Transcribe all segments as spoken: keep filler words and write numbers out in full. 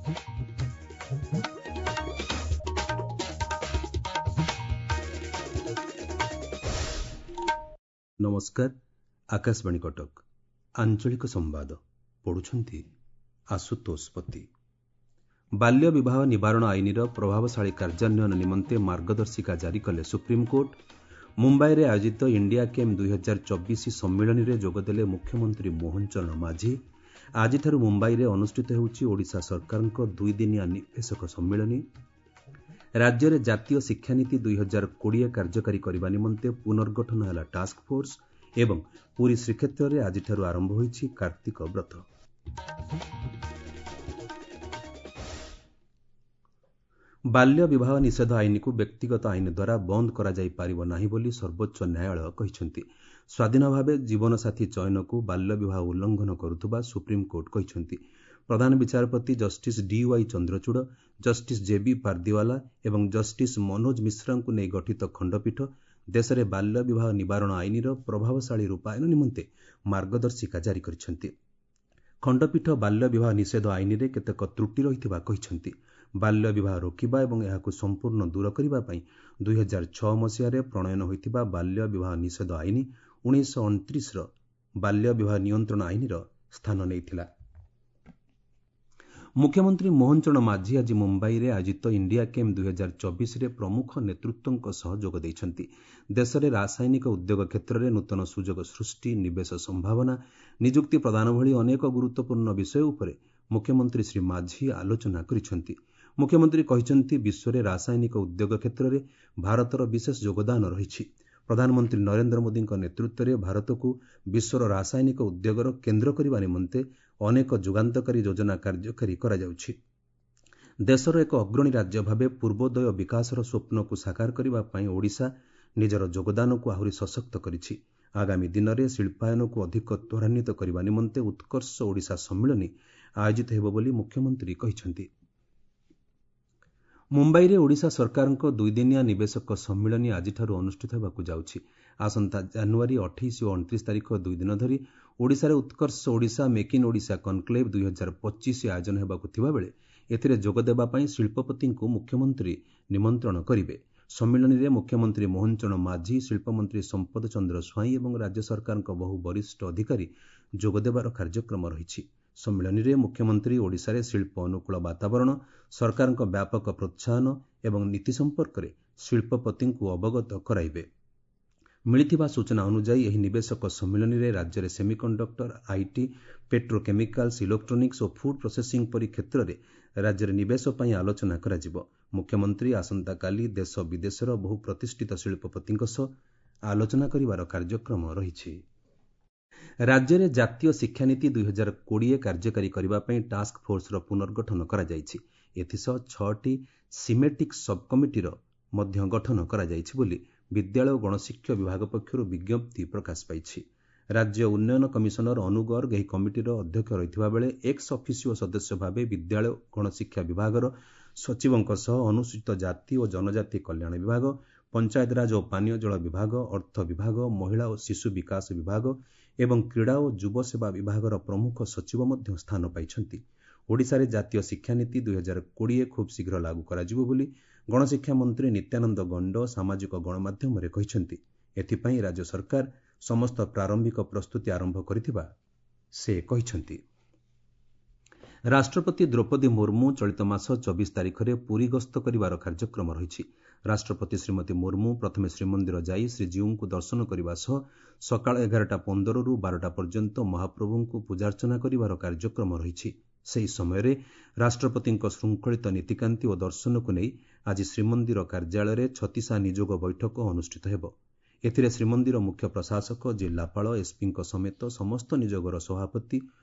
ନମସ୍କାର, ଆକାଶବାଣୀ କଟକ, ଆଞ୍ଚଳିକ ସମ୍ବାଦ ପଢୁଛନ୍ତି ଆଶୁତୋଷ ପତି। ବାଲ୍ୟ ବିବାହ ନିବାରଣ ଆଇନର ପ୍ରଭାବଶାଳୀ କାର୍ଯ୍ୟାନ୍ୱୟନ ନିମନ୍ତେ ମାର୍ଗଦର୍ଶିକା ଜାରି କଲେ ସୁପ୍ରିମକୋର୍ଟ। ମୁମ୍ବାଇରେ ଆୟୋଜିତ ଇଣ୍ଡିଆ କେମ୍ ଦୁଇହଜାର ଚବିଶ ସମ୍ମିଳନୀରେ ଯୋଗଦେଲେ ମୁଖ୍ୟମନ୍ତ୍ରୀ ମୋହନ ଚରଣ ମାଝୀ। ଆଜିଠାରୁ ମୁମ୍ବାଇରେ ଅନୁଷ୍ଠିତ ହେଉଛି ଓଡ଼ିଶା ସରକାରଙ୍କ ଦୁଇଦିନିଆ ନିବେଶକ ସମ୍ମିଳନୀ। ରାଜ୍ୟରେ ଜାତୀୟ ଶିକ୍ଷାନୀତି ଦୁଇହଜାର କୋଡ଼ିଏ କାର୍ଯ୍ୟକାରୀ କରିବା ନିମନ୍ତେ ପୁନର୍ଗଠନ ହେଲା ଟାସ୍କଫୋର୍ସ ଏବଂ ପୁରୀ ଶ୍ରୀକ୍ଷେତ୍ରରେ ଆଜିଠାରୁ ଆରମ୍ଭ ହୋଇଛି କାର୍ତ୍ତିକ ବ୍ରତ। ବାଲ୍ୟ ବିବାହ ନିଷେଧ ଆଇନକୁ ବ୍ୟକ୍ତିଗତ ଆଇନ ଦ୍ୱାରା ବନ୍ଦ କରାଯାଇ ପାରିବ ନାହିଁ ବୋଲି ସର୍ବୋଚ୍ଚ ନ୍ୟାୟାଳୟ କହିଛନ୍ତି। ସ୍ୱାଧୀନ ଭାବେ ଜୀବନସାଥୀ ଚୟନକୁ ବାଲ୍ୟ ବିବାହ ଉଲ୍ଲଂଘନ କରୁଥିବା ସୁପ୍ରିମକୋର୍ଟ କହିଛନ୍ତି। ପ୍ରଧାନ ବିଚାରପତି justice D Y Chandrachud, justice J B Pardiwala ଏବଂ ଜଷ୍ଟିସ୍ ମନୋଜ ମିଶ୍ରାଙ୍କୁ ନେଇ ଗଠିତ ଖଣ୍ଡପୀଠ ଦେଶରେ ବାଲ୍ୟ ବିବାହ ନିବାରଣ ଆଇନର ପ୍ରଭାବଶାଳୀ ରୂପାୟନ ନିମନ୍ତେ ମାର୍ଗଦର୍ଶିକା ଜାରି କରିଛନ୍ତି। ଖଣ୍ଡପୀଠ ବାଲ୍ୟ ବିବାହ ନିଷେଧ ଆଇନରେ କେତେକ ତ୍ରୁଟି ରହିଥିବା କହିଛନ୍ତି। ବାଲ୍ୟ ବିବାହ ରୋକିବା ଏବଂ ଏହାକୁ ସମ୍ପୂର୍ଣ୍ଣ ଦୂର କରିବା ପାଇଁ ଦୁଇହଜାର ଛଅ ମସିହାରେ ପ୍ରଣୟନ ହୋଇଥିବା ବାଲ୍ୟ ବିବାହ ନିଷେଧ ଆଇନ ଉଣେଇଶହ ଅଣତିରିଶର ବାଲ୍ୟ ବିବାହ ନିୟନ୍ତ୍ରଣ ଆଇନର ସ୍ଥାନ ନେଇଥିଲା। ମୁଖ୍ୟମନ୍ତ୍ରୀ ମୋହନ ଚରଣ ମାଝୀ ଆଜି ମୁମ୍ବାଇରେ ଆୟୋଜିତ ଇଣ୍ଡିଆ କେମ୍ ଦୁଇହଜାର ଚବିଶରେ ପ୍ରମୁଖ ନେତୃତ୍ୱଙ୍କ ସହ ଯୋଗ ଦେଇଛନ୍ତି। ଦେଶରେ ରାସାୟନିକ ଉଦ୍ୟୋଗ କ୍ଷେତ୍ରରେ ନୂତନ ସୁଯୋଗ ସୃଷ୍ଟି, ନିବେଶ ସମ୍ଭାବନା, ନିଯୁକ୍ତି ପ୍ରଦାନ ଭଳି ଅନେକ ଗୁରୁତ୍ୱପୂର୍ଣ୍ଣ ବିଷୟ ଉପରେ ମୁଖ୍ୟମନ୍ତ୍ରୀ ଶ୍ରୀ ମାଝୀ ଆଲୋଚନା କରିଛନ୍ତି। ମୁଖ୍ୟମନ୍ତ୍ରୀ କହିଛନ୍ତି, ବିଶ୍ୱରେ ରାସାୟନିକ ଉଦ୍ୟୋଗ କ୍ଷେତ୍ରରେ ଭାରତର ବିଶେଷ ଯୋଗଦାନ ରହିଛି। ପ୍ରଧାନମନ୍ତ୍ରୀ ନରେନ୍ଦ୍ର ମୋଦିଙ୍କ ନେତୃତ୍ୱରେ ଭାରତକୁ ବିଶ୍ୱର ରାସାୟନିକ ଉଦ୍ୟୋଗର କେନ୍ଦ୍ର କରିବା ନିମନ୍ତେ ଅନେକ ଯୁଗାନ୍ତକାରୀ ଯୋଜନା କାର୍ଯ୍ୟକାରୀ କରାଯାଉଛି। ଦେଶର ଏକ ଅଗ୍ରଣୀ ରାଜ୍ୟ ଭାବେ ପୂର୍ବୋଦୟ ବିକାଶର ସ୍ୱପ୍ନକୁ ସାକାର କରିବା ପାଇଁ ଓଡ଼ିଶା ନିଜର ଯୋଗଦାନକୁ ଆହୁରି ସଶକ୍ତ କରିଛି। ଆଗାମୀ ଦିନରେ ଶିଳ୍ପାୟନକୁ ଅଧିକ ତ୍ୱରାନ୍ୱିତ କରିବା ନିମନ୍ତେ ଉତ୍କର୍ଷ ଓଡ଼ିଶା ସମ୍ମିଳନୀ ଆୟୋଜିତ ହେବ ବୋଲି ମୁଖ୍ୟମନ୍ତ୍ରୀ କହିଛନ୍ତି। ମୁମ୍ବାଇରେ ଓଡ଼ିଶା ସରକାରଙ୍କ ଦୁଇଦିନିଆ ନିବେଶକ ସମ୍ମିଳନୀ ଆଜିଠାରୁ ଅନୁଷ୍ଠିତ ହେବାକୁ ଯାଉଛି। ଆସନ୍ତା ଜାନୁଆରୀ ଅଠେଇଶ ଓ ଅଣତିରିଶ ତାରିଖ ଦୁଇ ଦିନ ଧରି ଓଡ଼ିଶାରେ Utkarsh Odisha make in Odisha conclave ଦୁଇହଜାର ପଚିଶ ଆୟୋଜନ ହେବାକୁ ଥିବାବେଳେ ଏଥିରେ ଯୋଗଦେବା ପାଇଁ ଶିଳ୍ପପତିଙ୍କୁ ମୁଖ୍ୟମନ୍ତ୍ରୀ ନିମନ୍ତ୍ରଣ କରିବେ। ସମ୍ମିଳନୀରେ ମୁଖ୍ୟମନ୍ତ୍ରୀ ମୋହନ ଚରଣ ମାଝୀ, ଶିଳ୍ପମନ୍ତ୍ରୀ ସମ୍ପଦ ଚନ୍ଦ୍ର ସ୍ୱାଇଁ ଏବଂ ରାଜ୍ୟ ସରକାରଙ୍କ ବହୁ ବରିଷ୍ଠ ଅଧିକାରୀ ଯୋଗଦେବାର କାର୍ଯ୍ୟକ୍ରମ ରହିଛି। ସମ୍ମିଳନୀରେ ମୁଖ୍ୟମନ୍ତ୍ରୀ ଓଡ଼ିଶାରେ ଶିଳ୍ପ ଅନୁକୂଳ ବାତାବରଣ, ସରକାରଙ୍କ ବ୍ୟାପକ ପ୍ରୋତ୍ସାହନ ଏବଂ ନୀତି ସମ୍ପର୍କରେ ଶିଳ୍ପପତିଙ୍କୁ ଅବଗତ କରାଇବେ। ମିଳିଥିବା ସୂଚନା ଅନୁଯାୟୀ ଏହି ନିବେଶକ ସମ୍ମିଳନୀରେ ରାଜ୍ୟରେ semiconductor, IT, petrochemicals, electronics O food processing ପରି କ୍ଷେତ୍ରରେ ରାଜ୍ୟରେ ନିବେଶ ପାଇଁ ଆଲୋଚନା କରାଯିବ। ମୁଖ୍ୟମନ୍ତ୍ରୀ ଆସନ୍ତାକାଲି ଦେଶ ବିଦେଶର ବହୁ ପ୍ରତିଷ୍ଠିତ ଶିଳ୍ପପତିଙ୍କ ସହ ଆଲୋଚନା କରିବାର କାର୍ଯ୍ୟକ୍ରମ ରହିଛି। ରାଜ୍ୟରେ ଜାତୀୟ ଶିକ୍ଷାନୀତି ଦୁଇହଜାର କୋଡ଼ିଏ କାର୍ଯ୍ୟକାରୀ କରିବା ପାଇଁ ଟାସ୍କ ଫୋର୍ସର ପୁନର୍ଗଠନ କରାଯାଇଛି। ଏଥିସହ ଛଅଟି ସିମେଟିକ୍ ସବ୍ କମିଟିର ମଧ୍ୟ ଗଠନ କରାଯାଇଛି ବୋଲି ବିଦ୍ୟାଳୟ ଓ ଗଣଶିକ୍ଷା ବିଭାଗ ପକ୍ଷରୁ ବିଜ୍ଞପ୍ତି ପ୍ରକାଶ ପାଇଛି। ରାଜ୍ୟ ଉନ୍ନୟନ କମିଶନର ଅନୁ ଗର୍ଗ ଏହି କମିଟିର ଅଧ୍ୟକ୍ଷ ରହିଥିବା ବେଳେ ଏକ୍ସ ଅଫିସିଓ ସଦସ୍ୟ ଭାବେ ବିଦ୍ୟାଳୟ ଓ ଗଣଶିକ୍ଷା ବିଭାଗର ସଚିବଙ୍କ ସହ ଅନୁସୂଚିତ ଜାତି ଓ ଜନଜାତି କଲ୍ୟାଣ ବିଭାଗ, ପଞ୍ଚାୟତରାଜ ଓ ପାନୀୟ ଜଳ ବିଭାଗ, ଅର୍ଥ ବିଭାଗ, ମହିଳା ଓ ଶିଶୁ ବିକାଶ ବିଭାଗ ଏବଂ କ୍ରୀଡ଼ା ଓ ଯୁବସେବା ବିଭାଗର ପ୍ରମୁଖ ସଚିବ ମଧ୍ୟ ସ୍ଥାନ ପାଇଛନ୍ତି। ଓଡ଼ିଶାରେ ଜାତୀୟ ଶିକ୍ଷାନୀତି ଦୁଇହଜାର କୋଡ଼ିଏ ଖୁବ୍ ଶୀଘ୍ର ଲାଗୁ କରାଯିବ ବୋଲି ଗଣଶିକ୍ଷା ମନ୍ତ୍ରୀ ନିତ୍ୟାନନ୍ଦ ଗଣ୍ଡ ସାମାଜିକ ଗଣମାଧ୍ୟମରେ କହିଛନ୍ତି। ଏଥିପାଇଁ ରାଜ୍ୟ ସରକାର ସମସ୍ତ ପ୍ରାରମ୍ଭିକ ପ୍ରସ୍ତୁତି ଆରମ୍ଭ କରିଥିବା ସେ କହିଛନ୍ତି। ରାଷ୍ଟ୍ରପତି ଦ୍ରୌପଦୀ ମୁର୍ମୁ ଚଳିତ ମାସ ଚବିଶ ତାରିଖରେ ପୁରୀ ଗସ୍ତ କରିବାର କାର୍ଯ୍ୟକ୍ରମ ରହିଛି। ରାଷ୍ଟ୍ରପତି ଶ୍ରୀମତୀ ମୁର୍ମୁ ପ୍ରଥମେ ଶ୍ରୀମନ୍ଦିର ଯାଇ ଶ୍ରୀଜୀଉଙ୍କୁ ଦର୍ଶନ କରିବା ସହ ସକାଳ ଏଗାରଟା ପନ୍ଦରରୁ ବାରଟା ପର୍ଯ୍ୟନ୍ତ ମହାପ୍ରଭୁଙ୍କୁ ପୂଜାର୍ଚ୍ଚନା କରିବାର କାର୍ଯ୍ୟକ୍ରମ ରହିଛି। ସେହି ସମୟରେ ରାଷ୍ଟ୍ରପତିଙ୍କ ଶୃଙ୍ଖଳିତ ନୀତିକାନ୍ତି ଓ ଦର୍ଶନକୁ ନେଇ ଆଜି ଶ୍ରୀମନ୍ଦିର କାର୍ଯ୍ୟାଳୟରେ ଛତିଶା ନିଯୋଗ ବୈଠକ ଅନୁଷ୍ଠିତ ହେବ। ଏଥିରେ ଶ୍ରୀମନ୍ଦିର ମୁଖ୍ୟ ପ୍ରଶାସକ, ଜିଲ୍ଲାପାଳ, ଏସ୍ପିଙ୍କ ସମେତ ସମସ୍ତ ନିଯୋଗର ସଭାପତି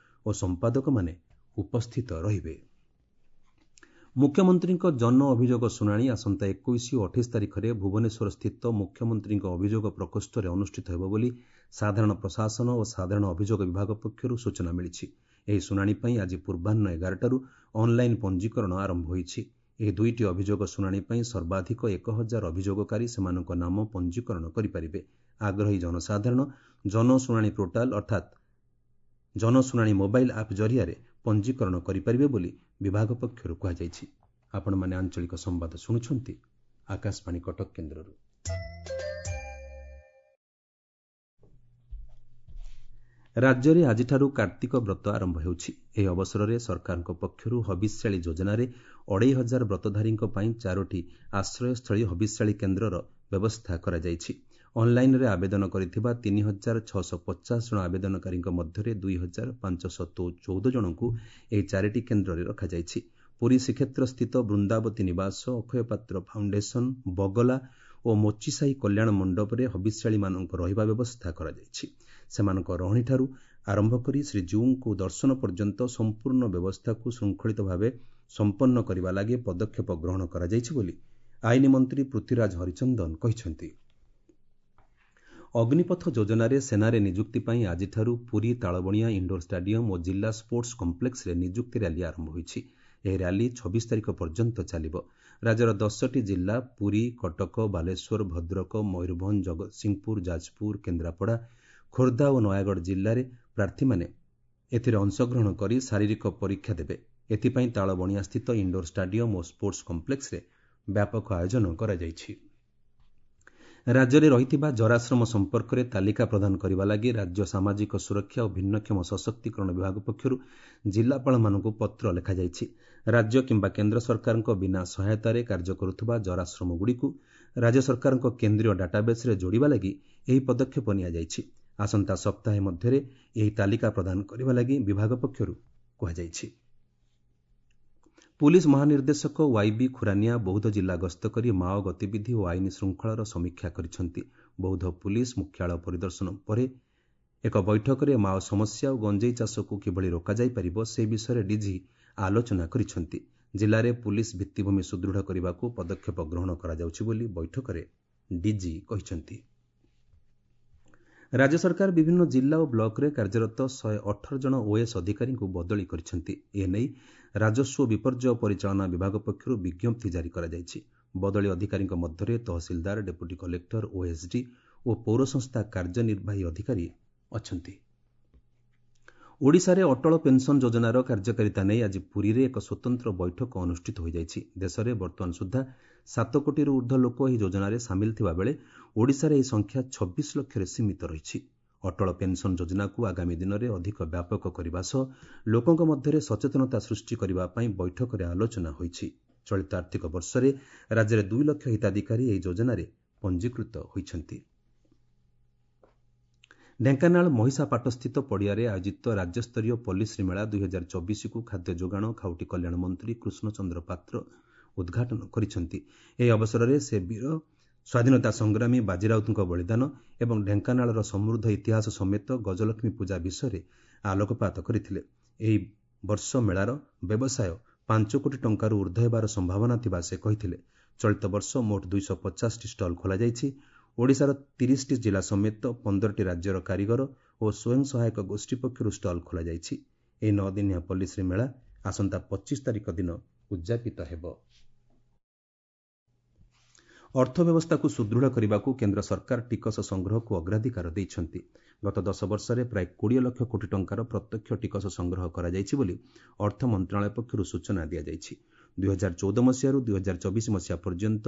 ଓ ସମ୍ପାଦକମାନେ ଉପସ୍ଥିତ ରହିବେ। ମୁଖ୍ୟମନ୍ତ୍ରୀଙ୍କ ଜନ ଅଭିଯୋଗ ଶୁଣାଣି ଆସନ୍ତା ଏକୋଇଶ ଓ ଅଠେଇଶ ତାରିଖରେ ଭୁବନେଶ୍ୱରସ୍ଥିତ ମୁଖ୍ୟମନ୍ତ୍ରୀଙ୍କ ଅଭିଯୋଗ ପ୍ରକୋଷ୍ଠରେ ଅନୁଷ୍ଠିତ ହେବ ବୋଲି ସାଧାରଣ ପ୍ରଶାସନ ଓ ସାଧାରଣ ଅଭିଯୋଗ ବିଭାଗ ପକ୍ଷରୁ ସୂଚନା ମିଳିଛି। ଏହି ଶୁଣାଣି ପାଇଁ ଆଜି ପୂର୍ବାହ୍ନ ଏଗାରଟାରୁ ଅନ୍ଲାଇନ୍ ପଞ୍ଜୀକରଣ ଆରମ୍ଭ ହୋଇଛି। ଏହି ଦୁଇଟି ଅଭିଯୋଗ ଶୁଣାଣି ପାଇଁ ସର୍ବାଧିକ ଏକ ହଜାର ଅଭିଯୋଗକାରୀ ସେମାନଙ୍କ ନାମ ପଞ୍ଜୀକରଣ କରିପାରିବେ। ଆଗ୍ରହୀ ଜନସାଧାରଣ ଜନଶୁଣାଣି ପୋର୍ଟାଲ ଅର୍ଥାତ୍ ଜନଶୁଣାଣି ମୋବାଇଲ୍ ଆପ୍ ଜରିଆରେ ପଞ୍ଜୀକରଣ କରିପାରିବେ ବୋଲି ବିଭାଗ ପକ୍ଷରୁ କୁହାଯାଇଛି। ଆପଣମାନେ ଆଞ୍ଚଳିକ ସମ୍ବାଦ ଶୁଣୁଛନ୍ତି ଆକାଶବାଣୀ କଟକ କେନ୍ଦ୍ରରୁ। ରାଜ୍ୟରେ ଆଜିଠାରୁ କାର୍ତ୍ତିକ ବ୍ରତ ଆରମ୍ଭ ହେଉଛି। ଏହି ଅବସରରେ ସରକାରଙ୍କ ପକ୍ଷରୁ ହବିଷ୍ୟାଳୀ ଯୋଜନାରେ ଅଢ଼େଇ ହଜାର ବ୍ରତଧାରୀଙ୍କ ପାଇଁ ଚାରୋଟି ଆଶ୍ରୟସ୍ଥଳୀ ହବିଷ୍ୟାଳୀ କେନ୍ଦ୍ରର ବ୍ୟବସ୍ଥା କରାଯାଇଛି। ଅନ୍ଲାଇନ୍ରେ ଆବେଦନ କରିଥିବା ତିନି ହଜାର ଛଅଶହ ପଚାଶ ଜଣ ଆବେଦନକାରୀଙ୍କ ମଧ୍ୟରେ ଦୁଇ ହଜାର ପାଞ୍ଚଶହ ଚଉଦ ଜଣଙ୍କୁ ଏହି ଚାରିଟି କେନ୍ଦ୍ରରେ ରଖାଯାଇଛି। ପୁରୀ ଶ୍ରୀକ୍ଷେତ୍ରସ୍ଥିତ ବୃନ୍ଦାବତୀ ନିବାସ, ଅକ୍ଷୟ ପାତ୍ର ଫାଉଣ୍ଡେସନ, ବଗଲା ଓ ମୋଚିସାହି କଲ୍ୟାଣ ମଣ୍ଡପରେ ହବିଷ୍ୟାଳୀମାନଙ୍କ ରହିବା ବ୍ୟବସ୍ଥା କରାଯାଇଛି। ସେମାନଙ୍କ ରହଣିଠାରୁ ଆରମ୍ଭ କରି ଶ୍ରୀଜୀଉଙ୍କୁ ଦର୍ଶନ ପର୍ଯ୍ୟନ୍ତ ସମ୍ପୂର୍ଣ୍ଣ ବ୍ୟବସ୍ଥାକୁ ଶୃଙ୍ଖଳିତ ଭାବେ ସମ୍ପନ୍ନ କରିବା ଲାଗି ପଦକ୍ଷେପ ଗ୍ରହଣ କରାଯାଇଛି ବୋଲି ଆଇନ ମନ୍ତ୍ରୀ ପୃଥ୍ୱୀରାଜ ହରିଚନ୍ଦନ କହିଛନ୍ତି। ଅଗ୍ନିପଥ ଯୋଜନାରେ ସେନାରେ ନିଯୁକ୍ତି ପାଇଁ ଆଜିଠାରୁ ପୁରୀ ତାଳବଣିଆ ଇଣ୍ଡୋର ଷ୍ଟାଡିୟମ୍ ଓ ଜିଲ୍ଲା ସ୍ପୋର୍ଟସ କମ୍ପ୍ଲେକ୍ସରେ ନିଯୁକ୍ତି ର୍ୟାଲି ଆରମ୍ଭ ହୋଇଛି। ଏହି ର୍ୟାଲି ଛବିଶ ତାରିଖ ପର୍ଯ୍ୟନ୍ତ ଚାଲିବ। ରାଜ୍ୟର ଦଶଟି ଜିଲ୍ଲା ପୁରୀ, କଟକ, ବାଲେଶ୍ୱର, ଭଦ୍ରକ, ମୟୂରଭଞ୍ଜ, ଜଗତସିଂହପୁର, ଯାଜପୁର, କେନ୍ଦ୍ରାପଡ଼ା, ଖୋର୍ଦ୍ଧା ଓ ନୟାଗଡ଼ ଜିଲ୍ଲାରେ ପ୍ରାର୍ଥୀମାନେ ଏଥିରେ ଅଂଶଗ୍ରହଣ କରି ଶାରୀରିକ ପରୀକ୍ଷା ଦେବେ। ଏଥିପାଇଁ ତାଳବଣିଆସ୍ଥିତ ଇଣ୍ଡୋର ଷ୍ଟାଡିୟମ୍ ଓ ସ୍ପୋର୍ଟସ କମ୍ପ୍ଲେକ୍ସରେ ବ୍ୟାପକ ଆୟୋଜନ କରାଯାଇଛି। ରାଜ୍ୟରେ ରହିଥିବା ଜରାଶ୍ରମ ସମ୍ପର୍କରେ ତାଲିକା ପ୍ରଦାନ କରିବା ଲାଗି ରାଜ୍ୟ ସାମାଜିକ ସୁରକ୍ଷା ଓ ଭିନ୍ନକ୍ଷମ ସଶକ୍ତିକରଣ ବିଭାଗ ପକ୍ଷରୁ ଜିଲ୍ଲାପାଳମାନଙ୍କୁ ପତ୍ର ଲେଖାଯାଇଛି। ରାଜ୍ୟ କିମ୍ବା କେନ୍ଦ୍ର ସରକାରଙ୍କ ବିନା ସହାୟତାରେ କାର୍ଯ୍ୟ କରୁଥିବା ଜରାଶ୍ରମଗୁଡ଼ିକୁ ରାଜ୍ୟ ସରକାରଙ୍କ କେନ୍ଦ୍ରୀୟ ଡାଟାବେସ୍ରେ ଯୋଡ଼ିବା ଲାଗି ଏହି ପଦକ୍ଷେପ ନିଆଯାଇଛି। ଆସନ୍ତା ସପ୍ତାହେ ମଧ୍ୟରେ ଏହି ତାଲିକା ପ୍ରଦାନ କରିବା ଲାଗି ବିଭାଗ ପକ୍ଷରୁ କୁହାଯାଇଛି। ପୁଲିସ ମହାନିର୍ଦ୍ଦେଶକ ୱାଇବି ଖୁରାନିଆ ବୌଦ୍ଧ ଜିଲ୍ଲା ଗସ୍ତ କରି ମାଓ ଗତିବିଧି ଓ ଆଇନ ଶୃଙ୍ଖଳାର ସମୀକ୍ଷା କରିଛନ୍ତି। ବୌଦ୍ଧ ପୁଲିସ ମୁଖ୍ୟାଳୟ ପରିଦର୍ଶନ ପରେ ଏକ ବୈଠକରେ ମାଓ ସମସ୍ୟା ଓ ଗଞ୍ଜେଇ ଚାଷକୁ କିଭଳି ରୋକାଯାଇପାରିବ ସେ ବିଷୟରେ ଡିଜି ଆଲୋଚନା କରିଛନ୍ତି। ଜିଲ୍ଲାରେ ପୁଲିସ ଭିତ୍ତିଭୂମି ସୁଦୃଢ଼ କରିବାକୁ ପଦକ୍ଷେପ ଗ୍ରହଣ କରାଯାଉଛି ବୋଲି ବୈଠକରେ ଡିଜି କହିଛନ୍ତି। ରାଜ୍ୟ ସରକାର ବିଭିନ୍ନ ଜିଲ୍ଲା ଓ ବ୍ଲକରେ କାର୍ଯ୍ୟରତ ଶହେ ଅଠର ଜଣ ଓଏଏସ୍ ଅଧିକାରୀଙ୍କୁ ବଦଳି କରିଛନ୍ତି। ଏନେଇ ରାଜସ୍ୱ ବିପର୍ଯ୍ୟୟ ପରିଚାଳନା ବିଭାଗ ପକ୍ଷରୁ ବିଜ୍ଞପ୍ତି ଜାରି କରାଯାଇଛି। ବଦଳି ଅଧିକାରୀଙ୍କ ମଧ୍ୟରେ ତହସିଲଦାର, ଡେପୁଟି କଲେକ୍ଟର, ଓଏସ୍ଡି ଓ ପୌର ସଂସ୍ଥା କାର୍ଯ୍ୟନିର୍ବାହୀ ଅଧିକାରୀ ଅଛନ୍ତି। ଓଡ଼ିଶାରେ ଅଟଳ ପେନ୍ସନ୍ ଯୋଜନାର କାର୍ଯ୍ୟକାରିତା ନେଇ ଆଜି ପୁରୀରେ ଏକ ସ୍ୱତନ୍ତ୍ର ବୈଠକ ଅନୁଷ୍ଠିତ ହୋଇଯାଇଛି। ଦେଶରେ ବର୍ତ୍ତମାନ ସୁଦ୍ଧା ସାତ କୋଟିରୁ ଉର୍ଦ୍ଧ୍ୱ ଲୋକ ଏହି ଯୋଜନାରେ ସାମିଲ ଥିବାବେଳେ ଓଡ଼ିଶାରେ ଏହି ସଂଖ୍ୟା ଛବିଶ ଲକ୍ଷରେ ସୀମିତ ରହିଛି। ଅଟଳ ପେନ୍ସନ୍ ଯୋଜନାକୁ ଆଗାମୀ ଦିନରେ ଅଧିକ ବ୍ୟାପକ କରିବା ସହ ଲୋକଙ୍କ ମଧ୍ୟରେ ସଚେତନତା ସୃଷ୍ଟି କରିବା ପାଇଁ ବୈଠକରେ ଆଲୋଚନା ହୋଇଛି। ଚଳିତ ଆର୍ଥିକ ବର୍ଷରେ ରାଜ୍ୟରେ ଦୁଇ ଲକ୍ଷ ହିତାଧିକାରୀ ଏହି ଯୋଜନାରେ ପଞ୍ଜୀକୃତ ହୋଇଛନ୍ତି। ଢେଙ୍କାନାଳ ମହିଷାପାଟସ୍ଥିତ ପଡ଼ିଆରେ ଆୟୋଜିତ ରାଜ୍ୟସ୍ତରୀୟ ପଲ୍ଲୀଶ୍ରୀ ମେଳା ଦୁଇ ହଜାର ଚବିଶକୁ ଖାଦ୍ୟ ଯୋଗାଣ ଖାଉଟି କଲ୍ୟାଣ ମନ୍ତ୍ରୀ କୃଷ୍ଣଚନ୍ଦ୍ର ପାତ୍ର ଉଦ୍ଘାଟନ କରିଛନ୍ତି। ଏହି ଅବସରରେ ସେ ବୀର ସ୍ୱାଧୀନତା ସଂଗ୍ରାମୀ ବାଜିରାଉତଙ୍କ ବଳିଦାନ ଏବଂ ଢେଙ୍କାନାଳର ସମୃଦ୍ଧ ଇତିହାସ ସମେତ ଗଜଲକ୍ଷ୍ମୀ ପୂଜା ବିଷୟରେ ଆଲୋକପାତ କରିଥିଲେ। ଏହି ବର୍ଷ ମେଳାର ବ୍ୟବସାୟ ପାଞ୍ଚ କୋଟି ଟଙ୍କାରୁ ଉର୍ଦ୍ଧ୍ୱ ହେବାର ସମ୍ଭାବନା ଥିବା ସେ କହିଥିଲେ। ଚଳିତ ବର୍ଷ ମୋଟ ଦୁଇଶହ ପଚାଶଟି ଷ୍ଟଲ୍ ଖୋଲାଯାଇଛି। ଓଡ଼ିଶାର ତିରିଶଟି ଜିଲ୍ଲା ସମେତ ପନ୍ଦରଟି ରାଜ୍ୟର କାରିଗର ଓ ସ୍ୱୟଂ ସହାୟକ ଗୋଷ୍ଠୀ ପକ୍ଷରୁ ଷ୍ଟଲ୍ ଖୋଲାଯାଇଛି। ଏହି ନଅ ଦିନିଆ ପଲ୍ଲୀଶ୍ରୀ ମେଳା ଆସନ୍ତା ପଚିଶ ତାରିଖ ଦିନ ଉଦ୍ଯାପିତ ହେବ। ଅର୍ଥବ୍ୟବସ୍ଥାକୁ ସୁଦୃଢ଼ କରିବାକୁ କେନ୍ଦ୍ର ସରକାର ଟିକସ ସଂଗ୍ରହକୁ ଅଗ୍ରାଧିକାର ଦେଇଛନ୍ତି। ଗତ ଦଶ ବର୍ଷରେ ପ୍ରାୟ କୋଡ଼ିଏ ଲକ୍ଷ କୋଟି ଟଙ୍କାର ପ୍ରତ୍ୟକ୍ଷ ଟିକସ ସଂଗ୍ରହ କରାଯାଇଛି ବୋଲି ଅର୍ଥ ମନ୍ତ୍ରଣାଳୟ ପକ୍ଷରୁ ସୂଚନା ଦିଆଯାଇଛି। ଦୁଇ ହଜାର ଚଉଦ ମସିହାରୁ ଦୁଇ ହଜାର ଚବିଶ ମସିହା ପର୍ଯ୍ୟନ୍ତ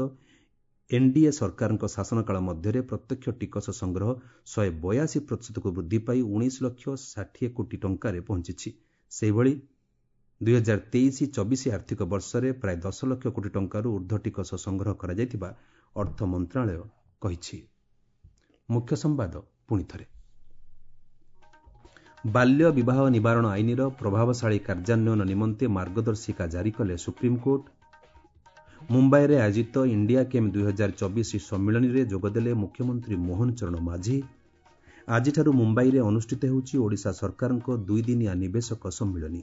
ଏନ୍ଡିଏ ସରକାରଙ୍କ ଶାସନକାଳ ମଧ୍ୟରେ ପ୍ରତ୍ୟକ୍ଷ ଟିକସ ସଂଗ୍ରହ ଶହେ ବୟାଅଶୀ ପ୍ରତିଶତକୁ ବୃଦ୍ଧି ପାଇ ଉଣେଇଶ ଲକ୍ଷ ଷାଠିଏ କୋଟି ଟଙ୍କାରେ ପହଞ୍ଚିଛି। ସେହିଭଳି ଦୁଇ ହଜାର ତେଇଶ ଚବିଶ ଆର୍ଥିକ ବର୍ଷରେ ପ୍ରାୟ ଦଶ ଲକ୍ଷ କୋଟି ଟଙ୍କାରୁ ଉର୍ଦ୍ଧ୍ୱ ଟିକସ ସଂଗ୍ରହ କରାଯାଇଥିବା ଅର୍ଥ ମନ୍ତ୍ରଣାଳୟ କହିଛି। ମୁଖ୍ୟ ସମ୍ବାଦ ପୁଣିଥରେ। ବାଲ୍ୟ ବିବାହ ନିବାରଣ ଆଇନର ପ୍ରଭାବଶାଳୀ କାର୍ଯ୍ୟାନ୍ୱୟନ ନିମନ୍ତେ ମାର୍ଗଦର୍ଶିକା ଜାରି କଲେ ସୁପ୍ରିମକୋର୍ଟ। ମୁମ୍ବାଇରେ ଆୟୋଜିତ ଇଣ୍ଡିଆ କେମ୍ ଦୁଇ ହଜାର ଚବିଶ ସମ୍ମିଳନୀରେ ଯୋଗଦେଲେ ମୁଖ୍ୟମନ୍ତ୍ରୀ ମୋହନ ଚରଣ ମାଝୀ। ଆଜିଠାରୁ ମୁମ୍ବାଇରେ ଅନୁଷ୍ଠିତ ହେଉଛି ଓଡ଼ିଶା ସରକାରଙ୍କ ଦୁଇଦିନିଆ ନିବେଶକ ସମ୍ମିଳନୀ।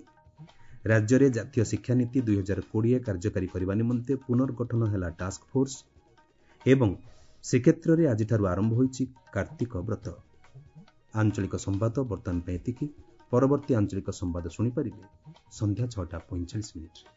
ରାଜ୍ୟରେ ଜାତୀୟ ଶିକ୍ଷାନୀତି ଦୁଇ ହଜାର କୋଡ଼ିଏ କାର୍ଯ୍ୟକାରୀ କରିବା ନିମନ୍ତେ ପୁନର୍ଗଠନ ହେଲା ଟାସ୍କଫୋର୍ସ। ଏବଂ ଶ୍ରୀକ୍ଷେତ୍ରରେ ଆଜିଠାରୁ ଆରମ୍ଭ ହୋଇଛି କାର୍ତ୍ତିକ ବ୍ରତ। ଆଞ୍ଚଳିକ ସମ୍ବାଦ ବର୍ତ୍ତମାନ ପାଇଁ ଏତିକି। ପରବର୍ତ୍ତୀ ଆଞ୍ଚଳିକ ସମ୍ବାଦ ଶୁଣିପାରିବେ ସନ୍ଧ୍ୟା ଛଅଟା ପଇଁଚାଳିଶ ମିନିଟ୍ରେ।